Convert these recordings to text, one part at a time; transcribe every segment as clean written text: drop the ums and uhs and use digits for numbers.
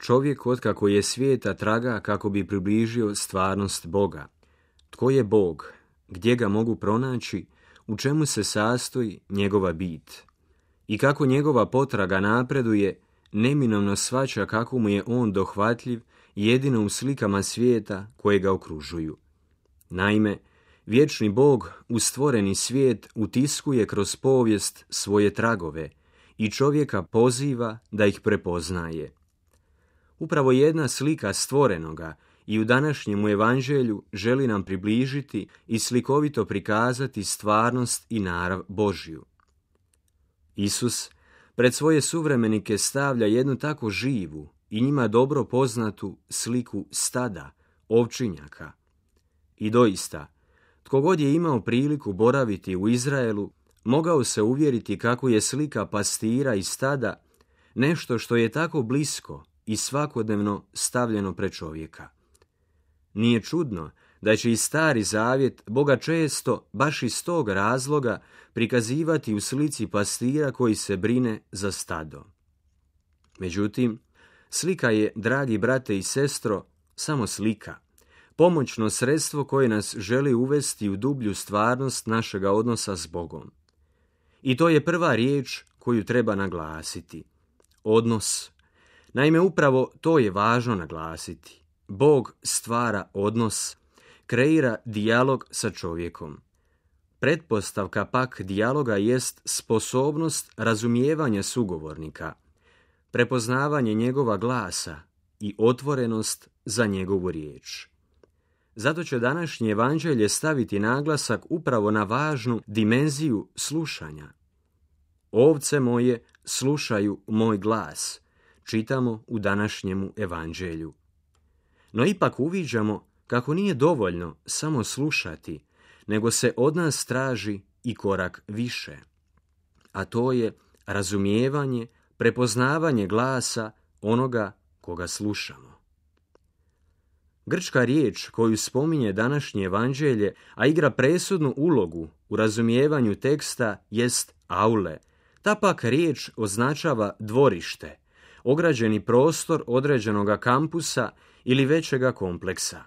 čovjek otkako je svijeta traga kako bi približio stvarnost Boga. Tko je Bog? Gdje ga mogu pronaći? U čemu se sastoji njegova bit? I kako njegova potraga napreduje, neminovno shvaća kako mu je on dohvatljiv jedino u slikama svijeta koje ga okružuju. Naime, vječni Bog u stvoreni svijet utiskuje kroz povijest svoje tragove i čovjeka poziva da ih prepoznaje. Upravo jedna slika stvorenoga i u današnjem evanđelju želi nam približiti i slikovito prikazati stvarnost i narav Božju. Isus pred svoje suvremenike stavlja jednu tako živu i njima dobro poznatu sliku stada, ovčinjaka. I doista, tko god je imao priliku boraviti u Izraelu, mogao se uvjeriti kako je slika pastira i stada nešto što je tako blisko i svakodnevno stavljeno pred čovjeka. Nije čudno da će i Stari Zavjet Boga često, baš iz tog razloga, prikazivati u slici pastira koji se brine za stado. Međutim, slika je, dragi brate i sestro, samo slika, pomoćno sredstvo koje nas želi uvesti u dublju stvarnost našega odnosa s Bogom. I to je prva riječ koju treba naglasiti. Odnos. Naime, upravo to je važno naglasiti. Bog stvara odnos, kreira dijalog sa čovjekom. Pretpostavka pak dijaloga jest sposobnost razumijevanja sugovornika, prepoznavanje njegova glasa i otvorenost za njegovu riječ. Zato će današnje evanđelje staviti naglasak upravo na važnu dimenziju slušanja. Ovce moje slušaju moj glas, čitamo u današnjemu evanđelju. No ipak uviđamo kako nije dovoljno samo slušati, nego se od nas traži i korak više. A to je razumijevanje, prepoznavanje glasa onoga koga slušamo. Grčka riječ koju spominje današnje evanđelje, a igra presudnu ulogu u razumijevanju teksta, jest aule. Ta pak riječ označava dvorište, ograđeni prostor određenoga kampusa ili većega kompleksa.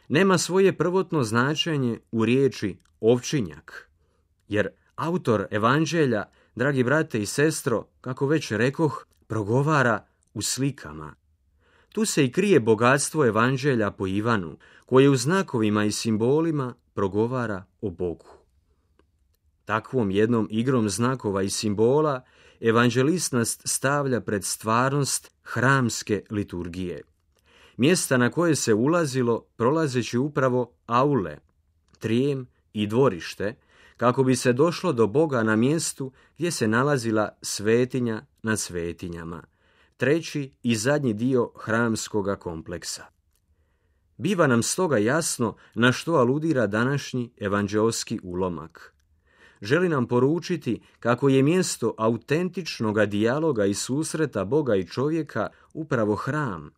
Nema svoje prvotno značenje u riječi ovčinjak, jer autor evanđelja, dragi brate i sestro, kako već rekoh, progovara u slikama. Tu se i krije bogatstvo evanđelja po Ivanu, koje u znakovima i simbolima progovara o Bogu. Takvom jednom igrom znakova i simbola evanđelist nas stavlja pred stvarnost hramske liturgije. Mjesta na koje se ulazilo prolazeći upravo aule, trijem i dvorište, kako bi se došlo do Boga na mjestu gdje se nalazila svetinja nad svetinjama, treći i zadnji dio hramskoga kompleksa. Biva nam stoga jasno na što aludira današnji evanđeoski ulomak. Želi nam poručiti kako je mjesto autentičnoga dijaloga i susreta Boga i čovjeka upravo hram,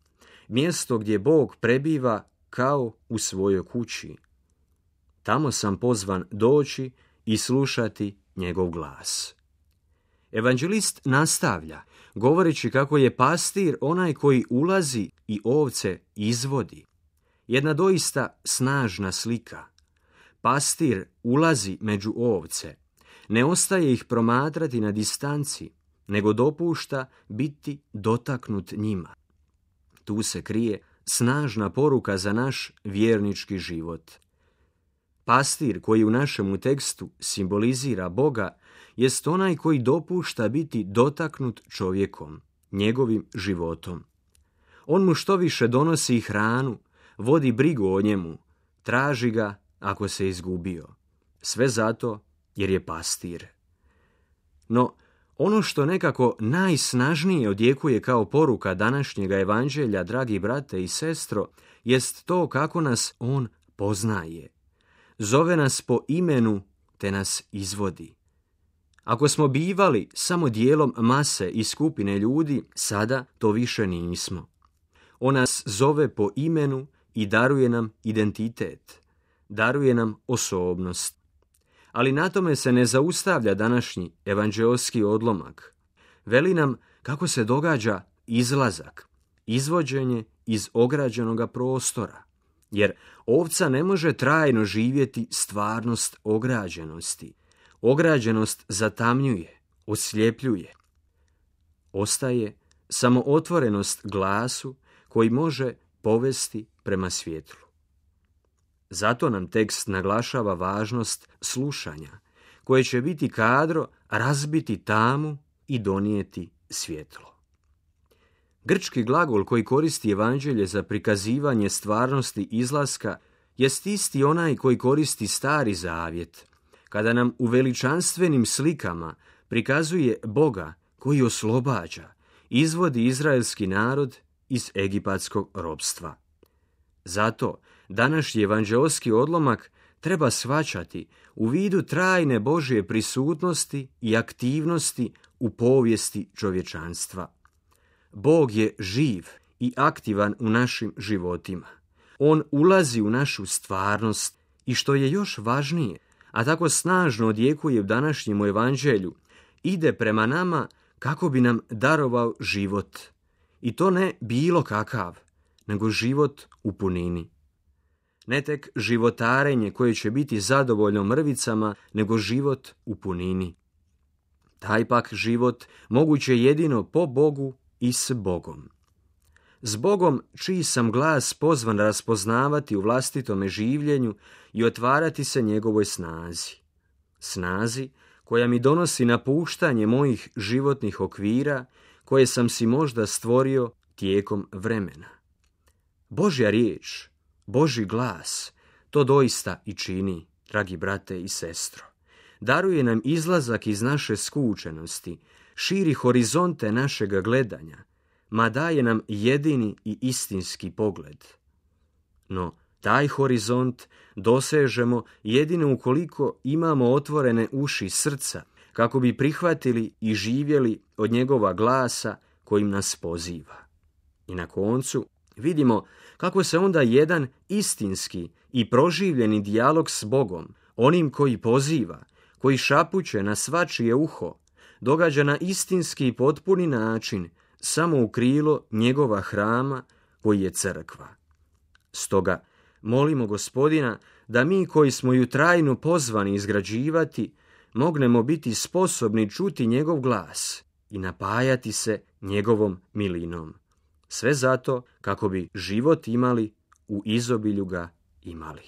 mjesto gdje Bog prebiva kao u svojoj kući. Tamo sam pozvan doći i slušati njegov glas. Evanđelist nastavlja, govoreći kako je pastir onaj koji ulazi i ovce izvodi. Jedna doista snažna slika. Pastir ulazi među ovce, ne ostaje ih promatrati na distanci, nego dopušta biti dotaknut njima. Tu se krije snažna poruka za naš vjernički život. Pastir koji u našemu tekstu simbolizira Boga jest onaj koji dopušta biti dotaknut čovjekom, njegovim životom. On mu što više donosi hranu, vodi brigu o njemu, traži ga ako se izgubio. Sve zato jer je pastir. No, ono što nekako najsnažnije odjekuje kao poruka današnjega evanđelja, dragi brate i sestro, jest to kako nas on poznaje. Zove nas po imenu te nas izvodi. Ako smo bivali samo dijelom mase i skupine ljudi, sada to više nismo. On nas zove po imenu i daruje nam identitet, daruje nam osobnost. Ali na tome se ne zaustavlja današnji evanđeoski odlomak. Veli nam kako se događa izlazak izvođenje iz ograđenoga prostora, jer ovca ne može trajno živjeti stvarnost ograđenosti. Ograđenost zatamnjuje, osljepljuje. Ostaje samo otvorenost glasu koji može povesti prema svjetlu. Zato nam tekst naglašava važnost slušanja, koje će biti kadro razbiti tamu i donijeti svjetlo. Grčki glagol koji koristi evanđelje za prikazivanje stvarnosti izlaska jest isti onaj koji koristi Stari Zavjet, kada nam u veličanstvenim slikama prikazuje Boga koji oslobađa, izvodi izraelski narod iz egipatskog ropstva. Zato današnji evanđeoski odlomak treba shvaćati u vidu trajne Božje prisutnosti i aktivnosti u povijesti čovječanstva. Bog je živ i aktivan u našim životima. On ulazi u našu stvarnost i što je još važnije, a tako snažno odjekuje u današnjem evanđelju, ide prema nama kako bi nam darovao život. I to ne bilo kakav, nego život u punini. Ne tek životarenje koje će biti zadovoljno mrvicama, nego život u punini. Taj pak život moguće jedino po Bogu i s Bogom. S Bogom čiji sam glas pozvan raspoznavati u vlastitome življenju i otvarati se njegovoj snazi. Snazi koja mi donosi napuštanje mojih životnih okvira koje sam si možda stvorio tijekom vremena. Božja riječ, Božji glas, to doista i čini, dragi brate i sestro. Daruje nam izlazak iz naše skučenosti, širi horizonte našega gledanja, ma daje nam jedini i istinski pogled. No, taj horizont dosežemo jedino ukoliko imamo otvorene uši srca, kako bi prihvatili i živjeli od njegova glasa kojim nas poziva. I na koncu vidimo kako se onda jedan istinski i proživljeni dijalog s Bogom, onim koji poziva, koji šapuće na svačije uho, događa na istinski i potpuni način samo u krilo njegova hrama koji je crkva. Stoga molimo Gospodina da mi koji smo ju trajno pozvani izgrađivati, mognemo biti sposobni čuti njegov glas i napajati se njegovom milinom. Sve zato kako bi život imali, u izobilju ga imali.